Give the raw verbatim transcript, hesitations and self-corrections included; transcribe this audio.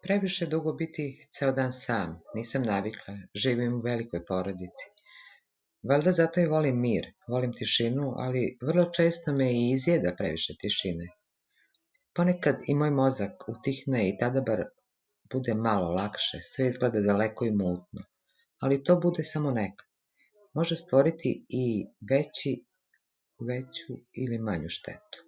Previše dugo biti ceo dan sam, nisam navikla, živim u velikoj porodici. Valjda zato i volim mir, volim tišinu, ali vrlo često me i izjeda previše tišine. Ponekad i moj mozak utihne i tada bar bude malo lakše, sve izgleda daleko i mutno, ali to bude samo nekad. Može stvoriti i veći, veću ili manju štetu.